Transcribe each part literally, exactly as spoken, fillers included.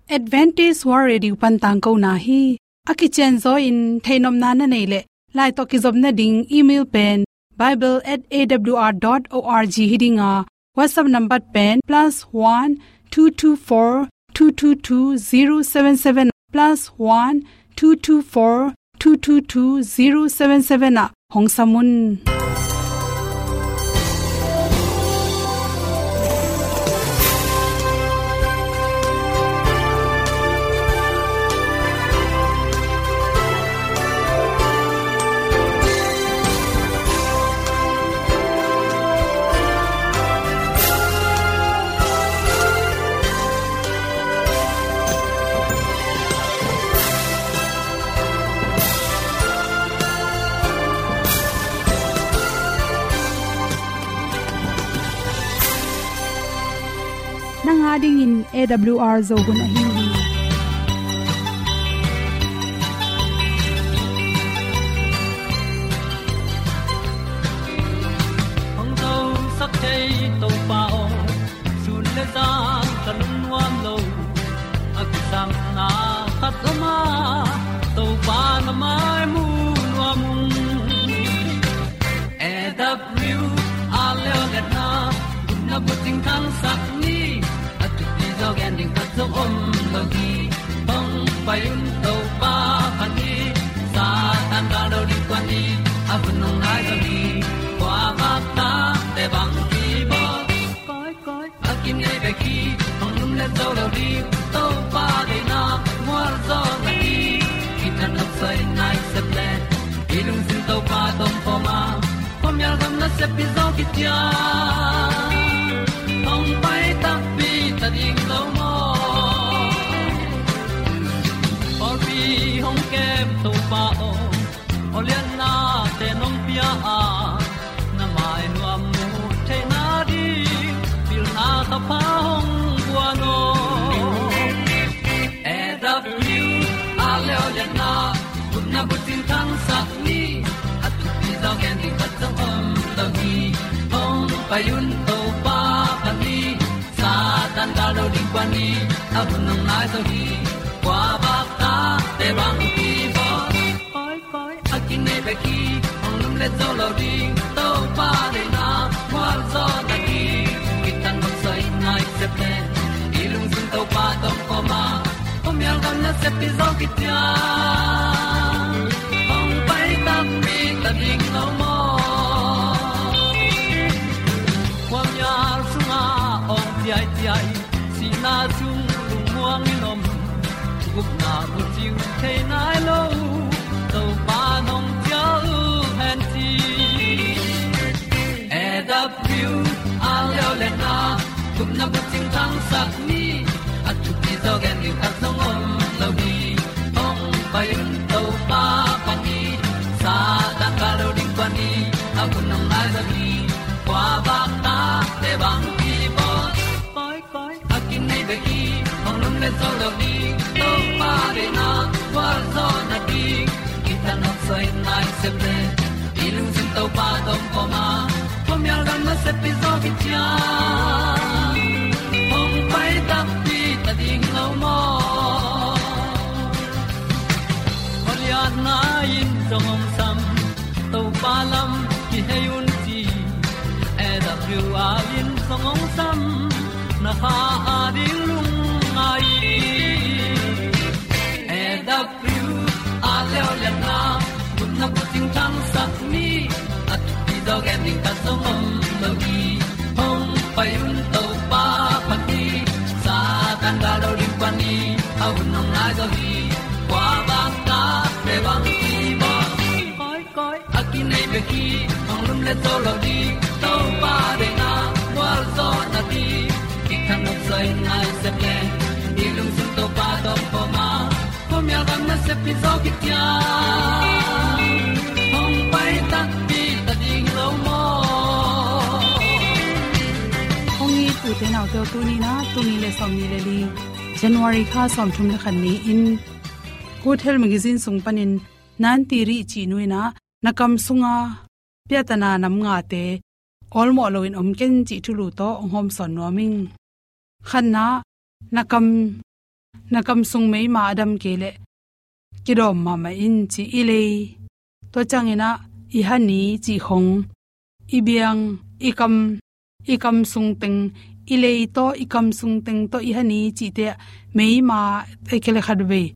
Adventist World Radio pan tangkona hi. A kicianzaw in theihnopna na neih leh, lai tawh kizopna ding email pen bible at A W R dot org hi ding a, WhatsApp number pen plus one two two four two two two zero seven seven, plus one two two four two two two zero seven seven ah hong sam un. Nang a dingin A W R Zo hun ahi hi. Hong zosak thei Topa aw, sun le zan ka lungnuam lo. A kisapna khat om a, Topa na mai mu nuam ung. A W R Zo hun na bucing thangsak ni, a thupi zaw gen ding khat zong om lo hi. Hong pai un Topa phat ni, Satan gal lo ding kuan ni, a hun hong nai zo hi. Kua bak ta te bang ki bawl. Koi, koi, a kinei bek hi, hong lum le zo lo ding, Topa deihna mual zaw na hi. Kitang nok soi nai sep le, i lungsim Topa tawh om khawm a, khuamial gam nasep pi zaw kician. Hong pai takpi ta ding lo maw? Pawlpi hong kem Topa aw, aw liannate nong pia a, na mai nuam mu theihna ding pilna thapha hong guan aw. A W R Zo hun na bucing thangsak ni, a thupi zaw gen ding khat zong om lo hi. Hong pai un Topa phat ni, Satan gal lo ding kuan ni, a hun hong nai zo hi. Kua bak ta te bang ki bawl. Koi, koi, a kinei bek hi, hong lum le zo lo ding, Topa deihna mual zaw na hi. Kitang nok soi nai sep le, i lungsim Topa tawh om khawm a, khuamial gam nasep pi zaw kician. Hong pai takpi ta ding lo maw? Khuamial sungah awng ciaiciai, sihna sung lungmuang in om, gupna bucing thei nai lo, Topa nong cial hen ci. A W R Zo hun na gupna bucing thangsak ni, a thupi zaw gen ding khat zong om lo hi. Hong pai un Topa phat ni, Satan gal lo ding kuan ni, a hun hong nai zo hi. Kua bak ta te bang ki bawl. Koi, koi, a kinei bek hi, hong lum le zo lo ding, Topa deihna mual zaw na hi. Kitang nok soi nai sep le, i lungsim Topa tawh om khawm a, khuamial gam nasep pi zaw kician. Hong pai takpi ta ding lo maw? Khualiatna in zong hong sam, Topa lam kihei un ci. A W R in zong hong sam, na kha a ding lungngai. A W R Zo hun na bucing thangsak ni, a thupi zaw gen ding khat zong om lo hi. Hong pai un Topa phat ni, Satan gal lo ding kuan ni, a hun hong nai zo hi. Kua bak ta te bang ki bawl. Koi, koi, a kinei bek hi, hong lum le zo lo ding, Topa deihna mual zaw na hi. Kitang nok soi nai sep le, i lungsim Topa tawh om khawm a, khuamial gam nasep pi zaw kician. Hong pai takpi ta ding lo maw? Hong it u te nau te aw, tuni in ah, tul nih le sawmnih le li, January kha sawmthum le khat ni-in, Good Health Magazine sung panin Nan Ti Rih cih nu in ah, na kam sunga piatana nam ngate awlmawh loin om ken cih thulu tawh hong hawmsawn nuam ing. Khatna, na kam Na kam sung meima a dam kei leh kidawm mahmah in ci. I lei, tua ciangin ah i hani cih khong, i biang, i kam, i kam sung teng, i lei tawh, i kam sung teng tawh, i hani cihte ah meima, ei kei le khatvei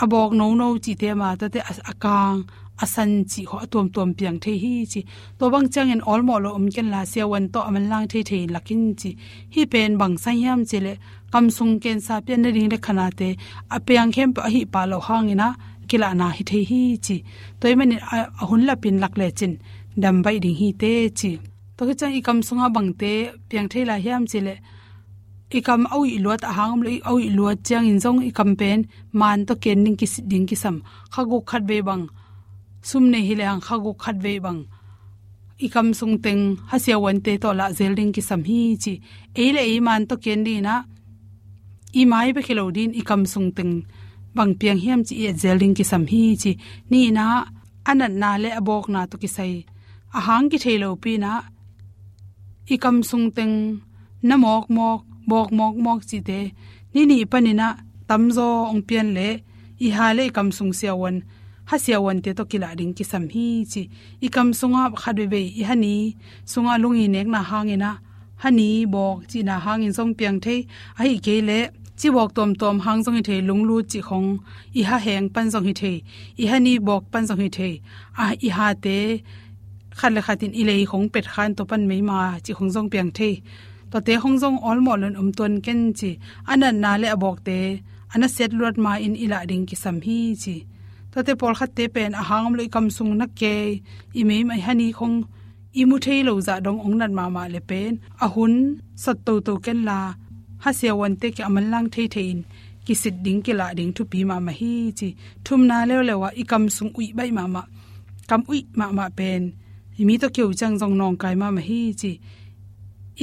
a bawk nono cihte mah, tuate a, a kang, a san cih khong a tuamtuam piang thei hi ci. Tua bang ciangin awlmawh lo om kenla, siavuan tawh a manlang theithei in lak in ci. Hih pen bang sang hiam cih leh kam sung kensa pian nading le khanate a piang khempeuh a hih pah loh hangin ah kilahna hi thei hi ci. Tua ahih manin a, a hun lapin lak lecin dam baih ding hi teh ci. Tua khit ciang i kam sungah bangte piang thei lai hiam cih leh, i kam a uih luat, a hang om lo a uih luat ciangin zong i kam pen man tawh ken ding kisit ding kisam. Kha guk khatvei bang, sum nei hi lehang kha guk khatvei bang i kam sung teng ha siavuante tawh lah zel ding kisam hi ci. Ei le ei man tawh ken dingin ah, i mai bek hi lo dingin i kam sung teng bang piang hiam cih i et zel ding kisam hi ci. Nihna, a natna le a bawkna tawh kisai a hang kithei lopi-in ah, i kam sung teng na mawkmawk, bawk mawkmawk cihte ni nih panin ah tamzaw hong pian leh, i ha le i kam sung siavuan, ha siavuante tawh kilah ding kisam hi ci. I kam sungah khatveivei, i hani sungah lunginekna hangin ah, hani bawk cihna hangin zong piang thei, ahih kei leh ci bawk tuamtuam hang zong hi thei, lunglut cih khong, i ha heng pan zong hi thei, i hani bawk pan zong hi thei, a, i hate khat le khatin i lei khong pet khan tua pan meima cih khong zong piang thei. Tuate khong zong awlmawh loin om tuan ken ci. A natna le a bawkte a nasia luat ma-in i lah ding kisam hi ci. Tuate pawlkhatte pen a hang om lo i kam sung na kei, i meima, i hani khong i mu thei lo zah dong hong nat mahmah le pen a hun sat toto kenla, ha siavuante kiang a manlang theithei in kisit ding, kilah ding thupi mahmah hi ci. Thumna leuleu ah, i kam sung uih baih mahmah, kam uih mahmah pen i mi tawh kiho ciang zong nawngkai mahmah hi ci.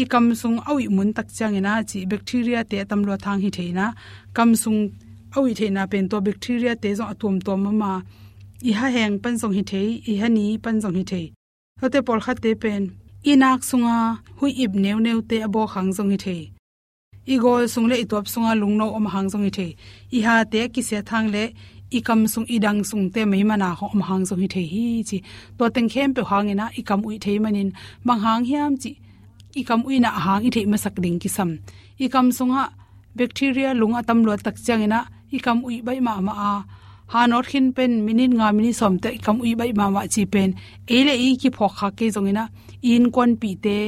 I kam sung a uih mun tak ciangin ah ci, bacteria-te a tamluat hang hi thei-in ah, kam sung a uih theihna pen tua bacteria-te zong a tuamtuam mahmah, i ha heng pan zong hi thei, i hani pan zong hi thei. Tuate pawlkhatte pen i nak sunga huih ip neuneute a bawk hang zong hi thei, i gawl sung le i tuap sunga lungno om hang zong hi thei, i hate a kisiat hang le i kam sung, i dang sungte meima na khong om hang zong hi thei hi ci. Tua teng khempeuh hangin ah i kam uih thei manin, bang hang hiam cih i kam uihna a hang i theih masak ding kisam. I kam sungah bacteria lung a tamluat tak ciangin ah i kam uih baih mahmah a, ha nawt khin pen minit nga, minit sawm teh i kam uih baih mahmah cih pen ei le ei kiphawk khak kei zongin ah, i innkuanpihte,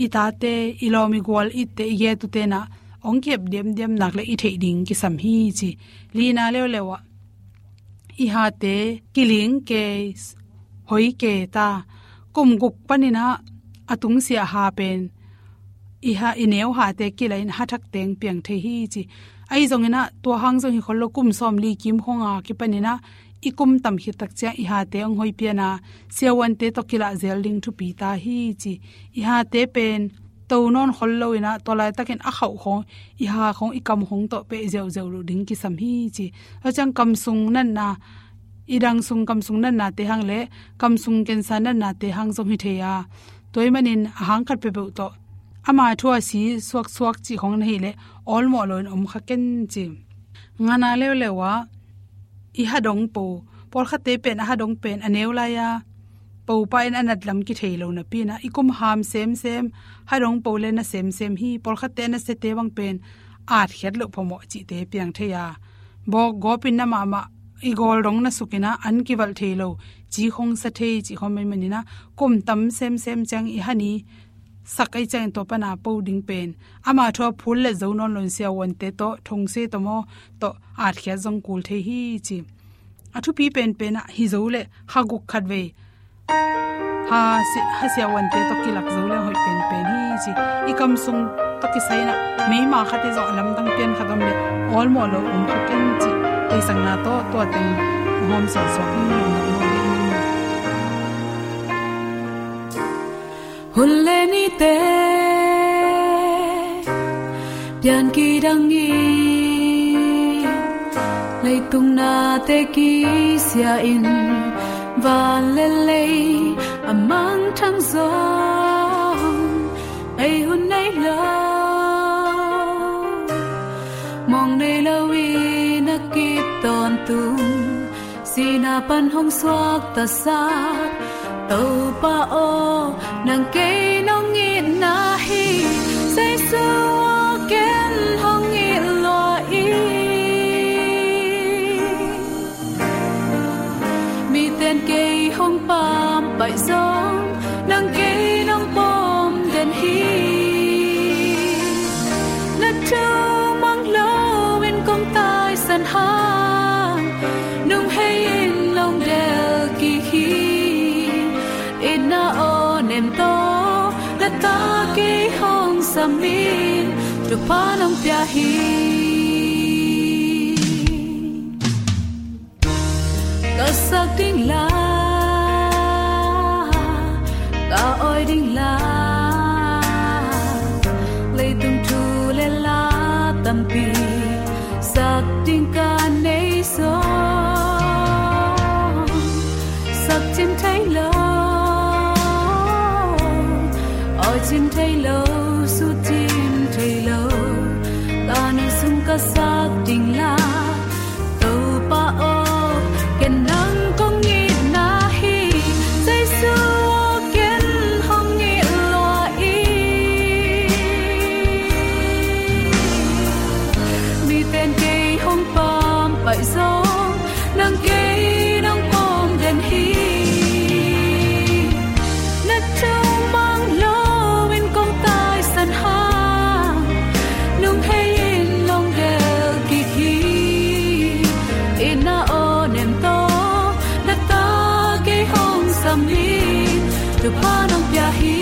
i tate, i lawm i gual itte, i gei tute'n ah hong kihep diamdiam nak leh i theih ding kisam hi ci. Lina leuleu ah, i hate kiling kei, hoi kei ta, kum guk panin ah a tungsiah ha pen, i ha, i neu hate kilahin ha thak teng piang thei hi ci. Ahi zongin ah tua hang zong hi khol lo, kum sawmli kim khong a kipanin ah i kum tam khit tak ciang i hate hong hoi pian a, siavuante tawh kilah zel ding thupi ta hi ci. I hate pen to nawn khol loin ah, tua laitakin a khauh khong, i ha khong, i kam khong tawh peh ziauziau loh ding kisam hi ci. Tua ciang kam sung natna, i dang sung kam sung natnate hang le kam sung kensa natnate hang zong hi thei a, tua ahih manin a hang khat peuhpeuh tawh ama thu a si suaksuak cih khong na hih leh awlmawh loin om kha ken ci. Ngana leuleu ah, i ha dong po, pawlkhatte pen a ha dong pen a neu lai-a popa in a nat lam kithei lo napi-in ah, i kum ham semsem, ha dong po le na semsem hi. Pawlkhatte a nasiate bang pen atkhiat loh phamawh cihte piang thei a, bawk gawpin na mahmah, i gawl dong na sukin ah an kivalh thei lo, ci khong sa thei cih khong ahih manin ah, kum tam semsem ciang i hani sak ahih ciangin tua pan a po ding pen, ama thu a phul le zo nawn loin siavuante tawh, thongse tawh maw, tawh atkhiat zong kul thei hi ci. A thupi penpen ah hi zo leh kha guk khatvei ha si-, ha siavuante tawh kilak zo leh hoih penpen hi ci. I kam sung tawh kisai-in ah meima khat i zawh a lamdang pian khat om leh awlmawh lo om kha ken ci. Theihsakna tawh tua teng hong hawm suaksuak hi. Hun le nite pian kidang in, leitung nate kisia in, van le lei a mangthang zong ei hun nei lo. Mawng nei lo in a kip tawntung, sihna pan hong suaktasak Topa aw, nang kei nong itna hi. Jesu aw, ken hong it lua ing. Miten kei hong pampaih zong, nang kei nong pom den hi. Na thu mang lo in kong taisan hang, nung hei in nong del kik hi. Itna aw nem tawh, na ta kei hong sam in, thupha nong pia hi. Ka sak ding la, ka awi ding la, leitung thu le la tampi sak ding ka nei zong, sak cin thei lo, awi cin thei lo, sut cin thei lo, ka nun sung ka sak ding la. Topa aw, ken nang kong itna hi. Jesu aw, ken hong it lua ing. Miten kei hong pampaih zong, nang kei nong pom den hi. Na thu mang lo in kong taisan hang, nung hei in nong del kik hi. Itna aw nem tawh, na ta kei hong sam in, thupha nong pia hi.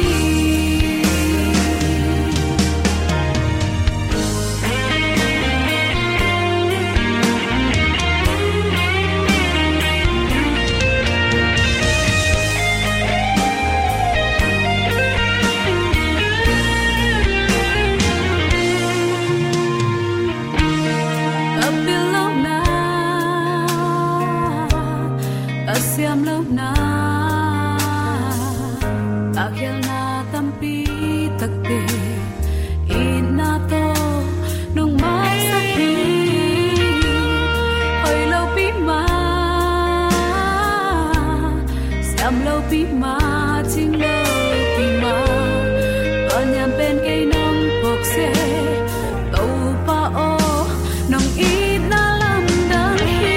Ka pil lohna, ka siam lohna, ka khialhna tampi takte, itna tawh nong maisak hi. Hoih lopi mah, siam lopi mah, cing lopi mah, ka niam pen kei nong phawk seh. Topa aw, nong itna lamdang hi.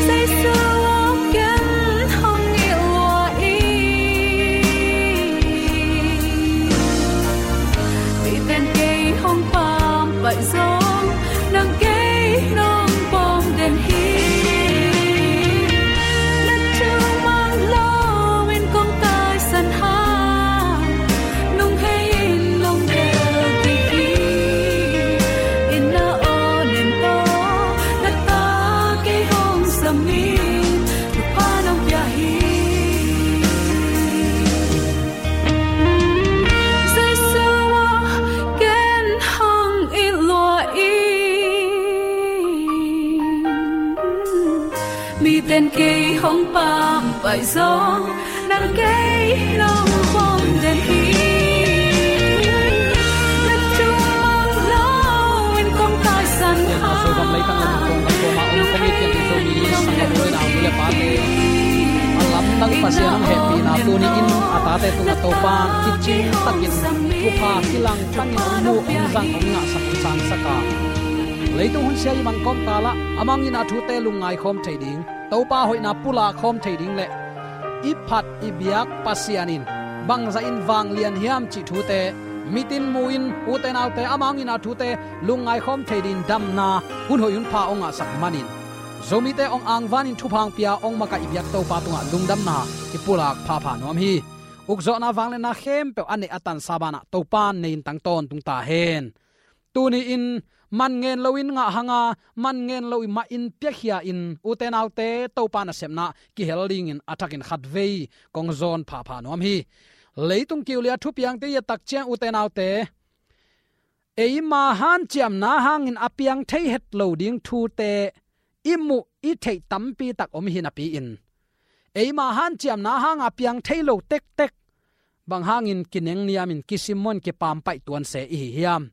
Jesu aw, ken hong it lua ing. Miten kei hong pampaih zong, nang kei nong pom den hi. Na thu mang lo in kong taisan hang, nung hei in nong del kik hi. Itna aw nem tawh, na ta kei hong sam in, thupha nong pia hi. Jesu aw, ken hong it lua ing. Miten kei hong pampaih zong, nang kei nong pom den hi. Na thu mang lo in kong taisan hang, Sodom leitang lam kong kan koma om kong i kiang i Zomi sanggam u le nau, nu le pate, a lamdang Pasian hong hehpihna tuni in a tate tungah Topa kicing takin thupha kilang tangin hong mu, hong zang, hong ngahsak, hong sangsak a, leitung hun sia i bang kawm kal ah amah hong itna thute lungngai khawm thei ding, Topa hoihna pulak khawm thei ding le i phat i biak Pasian in bangzah in vanglian hiam cih thute mitin mu-in, ute naute, amah hong itna thute lungngai khawm thei dingin damna hun hoih hun pha hong ngahsak manin, Zomite hong angvanin thupha hong pia, hong makaih i biak Topa tungah lungdamna i pulak phapha nuam hi. Ukzawhna, vangliatna khempeuh a neih a tansa banah Topa in nei-in tang tawntung ta hen. Tuni-in man ngen loin ngah hanga, man ngen lo i mahin piakhia-in, ute naute, Topa nasepna kihel dingin a thakin khatvei kong zawn phapha nuam hi. Leitung kiulia thupiangte i et tak ciang, ute naute, eima hanciamna hangin a piang thei het lo ding thute i muh i theih tampi tak om hi napi-in, eima hanciamna hanga piang thei lo tektek bang hangin kinengniamin, kisimmuanin, kipampaih tuan se i hi hiam?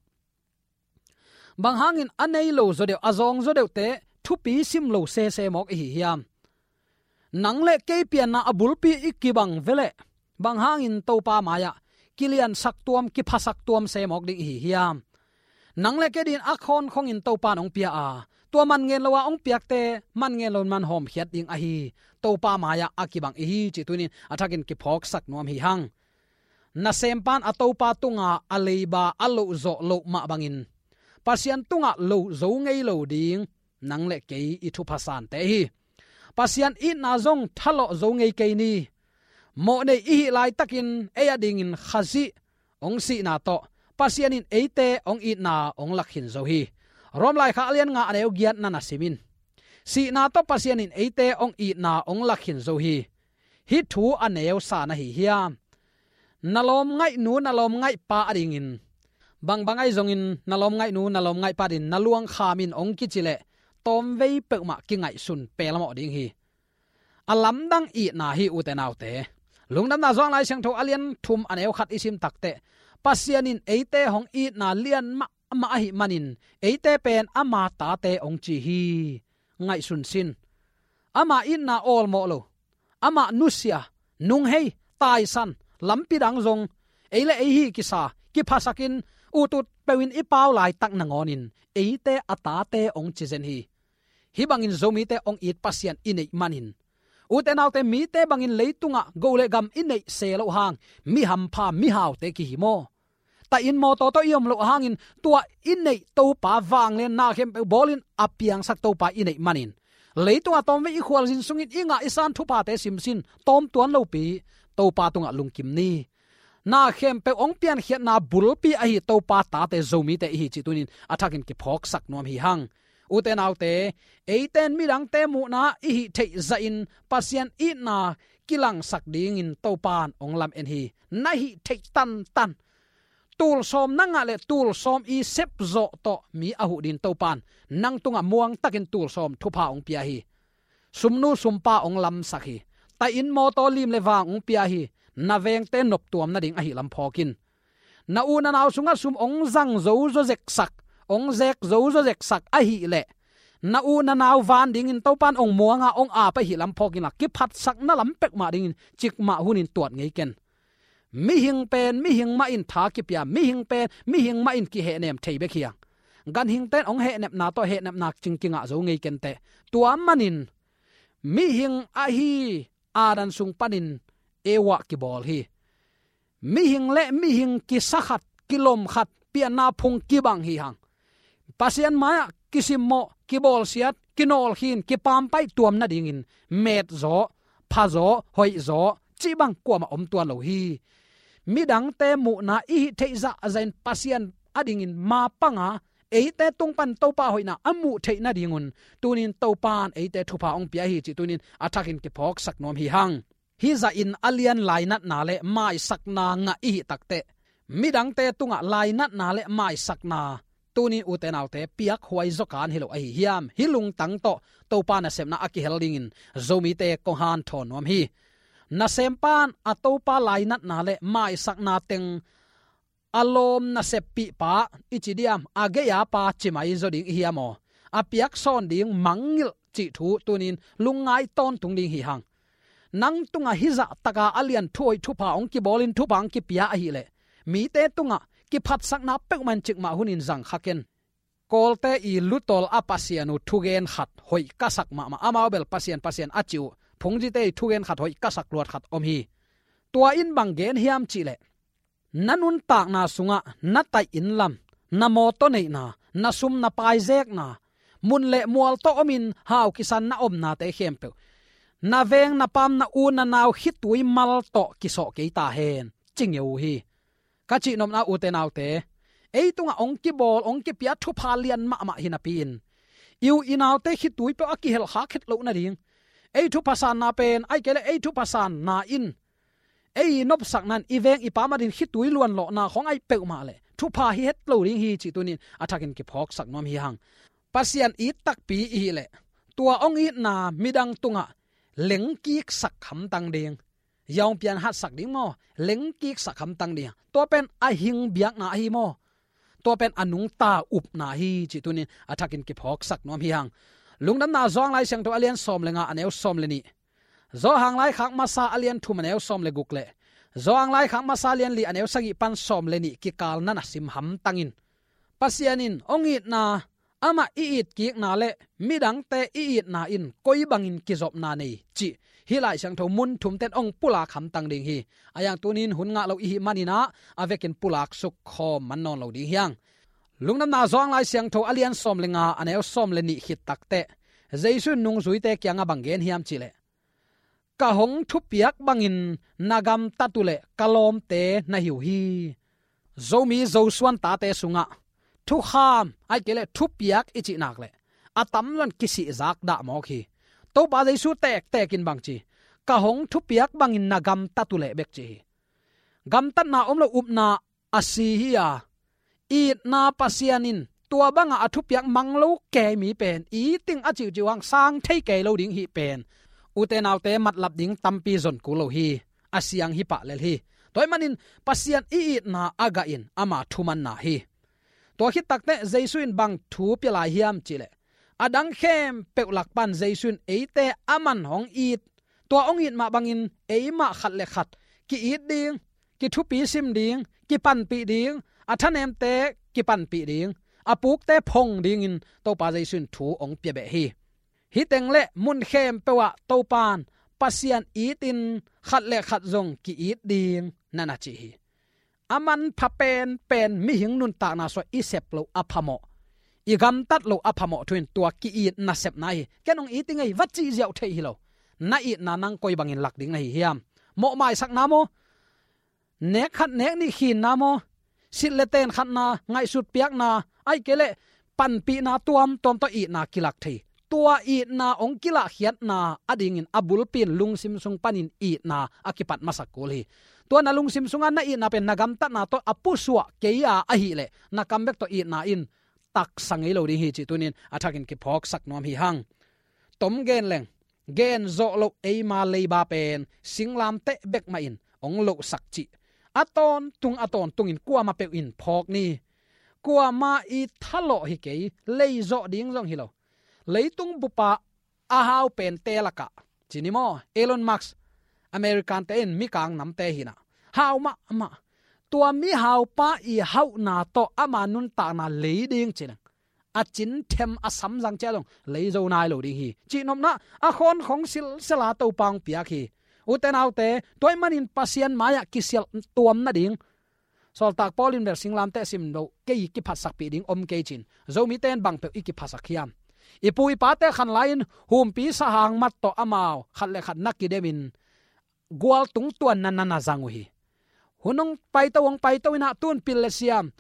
Bang hangin a nei lo zaw deuh, a zawng zaw deuhte thupi sim lo sese mawk i hi hiam? Nang le kei pianna a bulpi i kibang veleh, bang hangin Topa mai-ah kiliansak tuam, kiphasak tuam se mawk ding i hi hiam? Nang le kei din a khawnkhongin Topa in hong pia a, tua man ngen lo a hong piakte man ngen lo in man hawmkhiat ding ahi Topa mai-ah a kibang i hi cih tunin a thakin kiphawksak nuam hi hang. Nasempa in a topa tunga a leiba a loh zawh loh mah bangin Pasian tungah loh zo ngei lo ding nang le kei i thupha sante hi. Pasian itna zong thalawh zo ngei kei ni. Mawhnei i hih laitakin ei a dingin Khazih hong sihna tawh Pasian in eite hong itna hong lak khin zo hi. Rom laikhak a lian nga a neu giat na na sim in. Sihna tawh Pasian in eite hong itna hong lak khin zo hi. Hih thu a neu sa na hi hiam? Na lawmngaihnu, na lawmngaihpa a dingin, bangbang ahi zongin na lawmngaihnu, na lawmngaihpa a dingin na luangkham in hong kici leh tawmvei peuhmah kingaihsun pelmawh ding hi. A lamdang itna hi, ute naute. Lungdamna Johan Lai Siangtho a lian thum a neu khat i sim takteh, Pasian in eite hong itna lian mahmah ahih manin eite pen ama tate hong ci hi. Ngaihsun sin. Ama itna awlmawh lo, amah nusia, nunghei, taisan, lampi dang zong, ei le ei hi kisa, kiphasakin, utut peuhin i pau laitak nangawnin eite a tate hong ci zen hi. Hih bangin Zomite hong it Pasian i neih manin, ute naute, mite bangin leitungah go le gam i neih se loh hang, mi hampha, mi haute kihi maw? Tahin mawtaw tawh i om loh hangin tua i neih Topa, vanglian na khempeuh bawlin a piangsak Topa i neih manin, leitungah tawmvei i khualzin sungin i ngah i san thuphate simsin tawm tuan lopi Topa tungah lungkim ni. Na khempeuh hong piankhiatna bulpi ahi Topa tate Zomite i hi cih tunin a thakin kiphawksak nuam hi hang. Ute naute, eite in midangte muhna i hih theih zahin Pasian itna kilangsak dingin Topa in hong lam-en hi. Na hih theih tantan, tulsawm na ngah le tulsawm i sepzawh tawh mi a huh dingin Topa in nang tungah muangtakin tulsawm thupha hong pia hi. Sumnu sumpa hong lamsak hi. Tahin mawtaw, lim le vang hong pia hi. Na vengte noptuam nading ahi lam phawk in. Na u na nau sungah sum hong zang zo zaw zeksak, hong zek zo zaw zeksak ahih leh, na u na nau van dingin Topa in hong muanga hong ap ahi lam phawk inla, kiphatsakna lam peuhmah dingin cikmah hunin tuat ngei ken. Mihing pen mihing mah in tha kipia, mihing pen mihing mah in kihehnem thei bek hi hang. Ganhingte in hong hehnepna tawh hehnepna cing kingah zo ngei kenteh. Tua manin mihing ahi Adam sung panin Eva kibawl hi. Mihing le mihing kisa khat, kilom khat, pianna phung kibang hi hang. Pasian mai-ah kisimmawh, kibawlsiat, kinawlkhin, kipaampaih tuam nadingin metzaw, phazaw, hoihzaw cih bang kuamah om tuan lo hi. Midangte muhna i hih theih zahzahin Pasian a dingin ma panga eite tung pan Topa hoihna a muh theih nadingun tunin Topa in eite thupha hong pia hi cih tunin a thakin kiphawksak nuam hi hang. Hih zahin a lian lainatna le maisakna ngah i hih takteh, midangte tungah lainatna le maisakna tunin, ute naute, piakhuai zaw kan hi lo ahi hiam? Hih lungtang tawh Topa nasepna a kihel dingin Zomite kong hanthawn nuam hi. Nasempa in a topa lainatna le maisakna teng a lawm naseppihpa i ci diam, a gei-a pa ci mai zaw ding i hiam aw? A piaksawn ding mangngilh cih thu tunin lungngai tawntung ding hi hang. Nang tungah hih zahtaka a lian thuhoih thupha hong kibawlin thupha hong kipia ahih leh, mite tungah kiphatsakna peuhmah in cikmah hunin zang kha ken. Kawlte i lutol a pasian uh thugen khat hoih ka sak mahmah, amau bel pasian pasian a cih uh, phungzite i thugen khat hoih ka sak luat khat om hi. Tua in bang gen hiam cih leh, na nuntakna sungah na taih inn lam, na mawtaw neihna, na sum na pai zekna, mun le mual tawh omin hau kisan na omnate khempeuh, na veng na paam, na u na nau khitui mal tawh kisawh kei ta hen, ci ngeu uh hi. Ka cihnopna, ute naute, ei tungah hong kibawl, hong kipia thupha lian mahmah hi napi-in, i u i naute khitui peuh a kihelkhak het loh nading, ei thupha sanna pen, ahih kei leh ei thupha sanna in ei nopsakna in i veng i paam adingin khitui luanlawhna khawng ahi peuhmah leh thupha hi het lo ding hi cih tunin a thakin kiphawksak nuam hi hang. Pasian it takpi i hih leh, tua hong itna midang tungah lengkiksak hamtang ding. Zong pian hatsak ding maw? Lengkiksak hamtang ding. Tua pen a hing biakna ahi maw? tua pen a nungta upna hi cih tunin a thakin kiphawksak nuam hi hang. Lungdamna Johan Lai Siangtho a lian sawm le nga a neu sawm le nih, Johan Laikhak Masa a lian thum a neu sawm le guk le Johan Laikhak Masa a lian li a neu sagih pan sawm le nih kikal na na sim hamtang in, Pasian in hong itna, amah i itkikna le midangte i itna in koi bangin kizopna nei cih hih Lai Siangtho mun thumten hong pulak hamtang ding hi. A yang tunin hun ngah lo i hih manin ah a vekin pulak suk khawm man nawn lo ding hi hang. Lungdamna Johan Lai Siangtho a lian sawm le nga a neu sawm le nih khit takteh Jesu in nungzuite kiangah bang gen hiam cihleh, ka hong thupiak bangin na gamtat uh leh ka lawmte na hi uh hi. Zomi Zosuan tate sungah thukham, ahih kei leh thupiak i cih nak leh a tamzaw in kisihzak dah mawk hi. Topa Jesu tektek in bang ci, ka hong thupiak bangin na gamtat uh leh bek ci hi. Gamtatna om lo, upna a si hi a, itna Pasian in tua bangah a thupiak mang lo kei mi pen it ding a ciuciu hang sang thei kei lo ding hih pen ute naute matlap ding tampi zon kul lo hi. A siang hi pah lel hi. Tua ahih manin Pasian i itna a gah in ama thumanna hi. Tua khit takteh Jesu in bang thu pia lai hiam cihleh, a dang khempeuh lak pan Jesu in eite aman hong it, tua hong it mah bangin eimah khat le khat ki-it ding, kithupi sim ding, kipanpih ding, a thanemte kipanpih ding, a pukte phong dingin Topa Jesu in thu hong pia beh hi. Hih teng le mun khempeuh ah Topa in Pasian itin khat le khat zong ki-it ding na na ci hi. A manpha penpen mihing nuntakna sungah i sep loh a phamawh, i gamtat loh a phamawh thu in tua ki-it nasepna hi. Ken hong it ing ei, va cih ziau theih hi lo. Na itna nang koi bangin lak ding na hi hiam? Mawh maisakna maw? Nek khat nek nih khinna maw? Silh le ten khatna, ngaihsut piakna, ahih kei leh panpihna tuamtuam tawh itna kilak thei. Tua itna hong kilahkhiatna adingin a bulpi in lungsim sung panin itna a kipat masak kul hi. Tua na lungsim sungah na itna pen na gamtatna tawh a pusuah kei a ahih leh na kam bek tawh itna in taksa ngei lo ding hi cih tunin a thakin kiphawksak nuam hi hang. Tom gen leng, gen zawh loh eima leiba pen singlamteh bek mah in hong lohsak cih a tawntung a tawntungin kuamah peuh in phawk ni. Kuamah i thalawh hi kei, lei zawh ding zong hi lo. Leitung bupa a hau pente lakah ci ni maw, Elon Musk, American te in mikang namte hi na, hau mahmah. Tua mihaupa i hauhna tawh ama nuntakna lei ding ci leng, a cin them a samzang ciah zong lei zo nai lo ding hi cih nopna a khawnkhong silsela Topa hong piak hi. Ute naute, tua ahih manin Pasian mai-ah kisialh tuam nading, Sawltak Paul in bel singlamteh sim loh kei, kiphasakpih ding om kei cin, Zomite in bang peuh i kiphasak hiam? I pu i pate khan lai-in humpi sahang mat tawh amau khat le khat na kidemin gual tung tuanna na na zang uh hi. Hun hong paito, hong paito in ah tun pil le siam,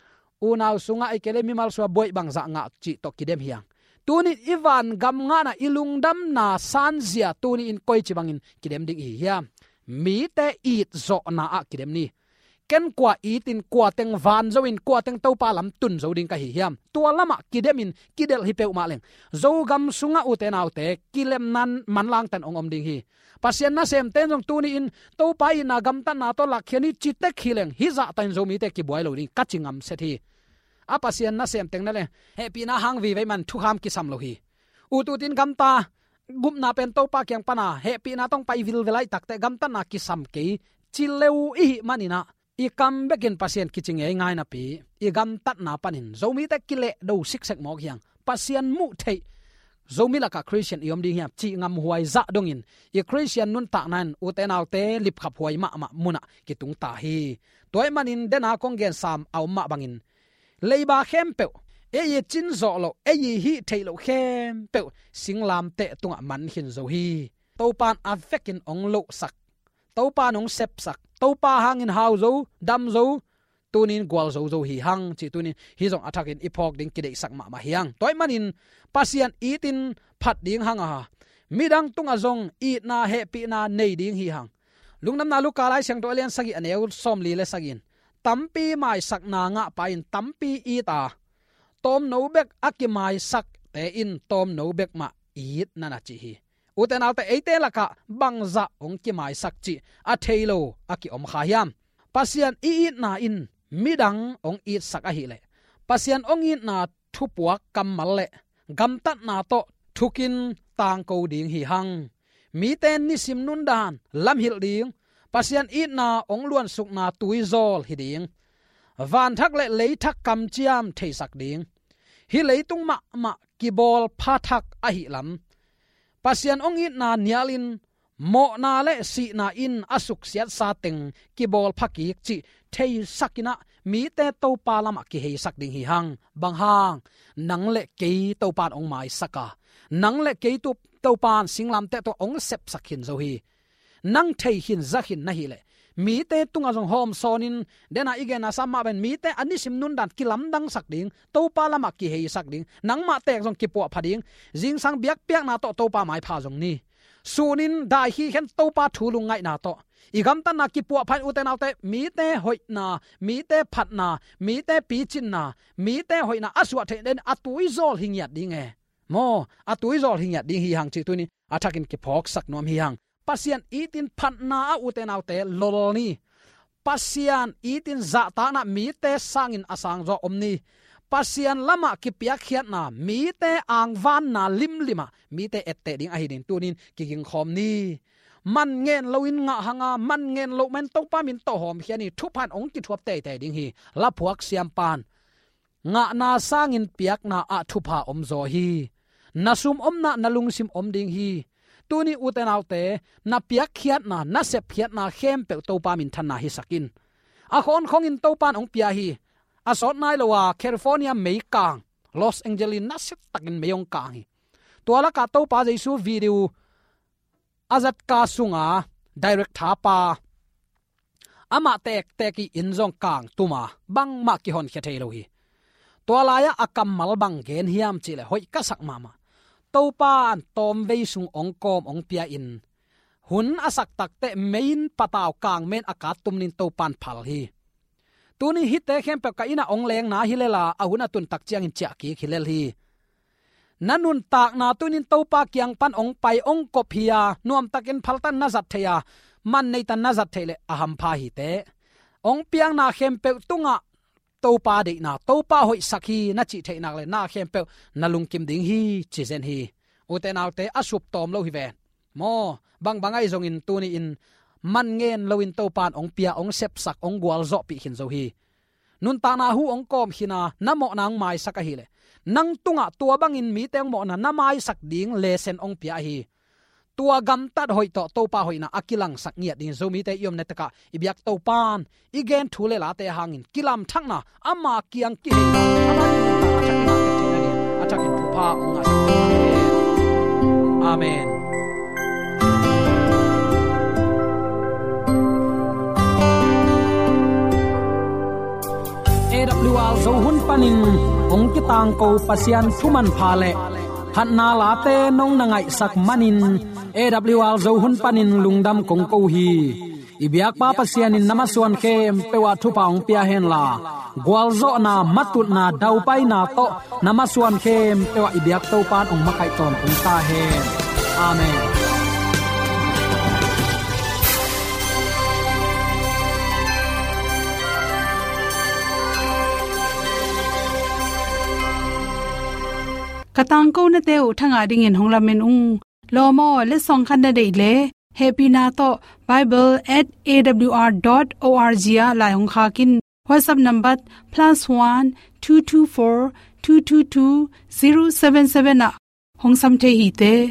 unau sungah ahih kei leh mimal sungah buaih bangzah ngah cih tawh kidem hi hang. Tunin i vangam ngahna, i lungdamna sanzia tuni-in koici bangin kidem ding i hi hiam? Mite itzawhna ah kidem ni. Ken kua itin, kua teng van zo in, kua teng Topa lam tun zo ding ka hi hiam? Tua lamah kidemin kidelh hi peuhmah leng, Zogam sungah ute naute, kilemna manlangte in hong om ding hi. Pasian nasemte in zong tuni-in Topa itna gamtatna tawh lakkhia ni ci tek hi leng, hih zahta in Zomite kibuai lo ding ka ci ngamset hi. A Pasian nasemte in leng hehpihna hang vive man thukham kisam lo hi. Ututin gamta, gupna pen Topa kiang pana hehpihna tawh hong pai vilvel ahih takteh gamtatna kisam kei ci le uh i hih manin ah, i kam bekin Pasian kici ngeingai napi, i gamtatna panin Zomite kilehdo siksek mawk hi hang. Pasian muh theih Zomi lakah Khristian i om ding hiam cih ngamhuai zah dongin, i Khristian nuntakna in ute naute lipkhaphuai mahmah munah kitung ta hi. Tua ahih manin dena kong gen sam a om mah bangin, leiba khempeuh, ei i cin zawh loh, ei i hih theih loh khempeuh singlamteh tungah man khin zo hi. Topa in a vekin hong lohsak, Topa in hong sepsak, Topa hangin hau zo, dam zo, tunin gualzo zo hi hang cih tunin hih zong a thakin i phawk ding kideihsak mahmah hi hang. Tua ahih manin Pasian itin phat ding hang a, midang tungah zong itna hehpihna nei ding hi hang. Lungdamna Luka Lai Siangtho a lian sagih a neu sawmli le sagih in, tampi maisakna ngahpa in tampi it a, tawmno bek a kimaisakte in tawmno bek mah it na na ci hi. Ute naute, eite lakah bangzah hong kimaisak cih a thei lo a kiom kha hiam? Pasian i itna in midang hong itsak ahih leh, Pasian hong itna thupuak kammal le gamtatna tawh thukin tangko ding hi hang. Mite nisim nundan lamhilh ding, Pasian itna hong luansukna tuizawl hi ding. Vanthak le leithak kamciam theisak ding. Hih leitung mahmah kibawl pha thak ahih lam, Pasian hong itna nialin mawhna le sihna in a suksiatsa teng kibawl phakik cih theisakin ah mite Topa lamah kiheisak ding hi hang. Bang hang? Nang le kei Topa in hong maisak a, nang le kei tu Topa in singlamteh tawh hong sepsak khin zo hi. Nang thei khin za khin na hih leh mite tungah zong hawmsawnin, dena i genna sam mah pen mite a nisim nundan kilamdangsak ding, Topa lamah kiheisak ding, nangmah tek zong kipuahpha ding, zingsang biakpiakna tawh Topa maipha zong ni. Sunin dai khikhen Topa thu lungngaihna tawh i gamtatna kipuahpha in, ute naute, mite hoihna, mite phatna, mite picinna, mite hoihna a suah theih den a tuizawl hi ngiat ding e. Maw, a tuizawl hi ngiat ding hi hang cih tuni a thakin kiphawksak nuam hi hang. Pasian itin phatna ah, ute naute, lol ni. Pasian itin zahtakna mite sangin a sangzaw om ni. Pasian lamah kipiakkhiatna, mite angvanna limlimah mite etteh ding ahi ding tunin kigingkhawm ni. Man ngen loin ngah hanga, man ngen loh man Topa min tawh hawmkhia ni. Thupha in hong kithuap teitei ding hi. Laphuak siampan, ngahna sangin piakna ah thupha omzaw hi. Na sum omna, na lungsim om ding hi. Tuni, ute naute, na piakkhiatna, na sepkhiatna khempeuh Topa minthanna hisak in. A khawnkhongin Topa in hong pia hi. A sawt nai lo a California meikang, Los Angeles in nasiatakin mei hong kang hi. Tua lakah Topa Jesu video a zatka sunga director pa, amah tektek i inn zong kang tuma, bangmah kihonkhia thei lo hi. Tua lai-ah a kammal bang gen hiam cih leh hoih ka sak mahmah. Topa in tawmvei sung hong kawm hong pia in, hun a sak takteh mei in patau kang men a kat tum nin Topa in phal hi. Tuni hihte khempeuh ka inn ah hong lengna hi lel a, a hun a tun tak ciangin ciah kik hi lel hi. Na nuntakna tunin Topa kiang pan hong pai, hong kop hi a, nuamtakin phaltan na zat thei a, man neitan na zat theih leh a hampha hi teh. Hong piakna khempeuh tungah Topa deihna, Topa hoihsak hi na cih theih nak leh na khempeuh na lungkim ding hi, ci zen hi. Ute naute, a sup tawm lo hi ven. Maw, bangbang ahi zongin tuni-in man ngen loin Topa in hong pia, hong sepsak, hong gualzawhpih khin zo hi. Nuntakna hu hong kawm khin a, na mawhna hong maisak ahih leh, nang tungah tua bangin mite hong mawhna na maisak ding lesson hong pia ahi. Tua gamtat hoih tawh Topa hoihna a kilangsak ngiat dingin Zomite i omna tekah i biak Topa in i gen thu le late hangin kilamthakna, ama kiang kiheina, ama nuntakna a thakin a tek theihna dingin a thakin thupha hong ngah. Amen. A W R Zo hun panin hong kitangko Pasian thu manpha le phatna late nong na ngaihsak manin A W R Zo hun panin lungdam kong ko hi. I biakpa Pasian in na masuan khempeuh ah thupha hong pia henla, gualzawhna, matutna, daupaina tawh na masuan khempeuh ah i biak Topa in hong makaih tawntung ta hen. Amen. Ka tangkonate uh thangah dingin hong lamen ung. Lawm aw, letsong khat na deih leh hehpihna tawh bible at A W R dot O R G ah lai hong khak in. WhatsApp number plus one two two four two two two zero seven seven ah hong sam thei hi teh.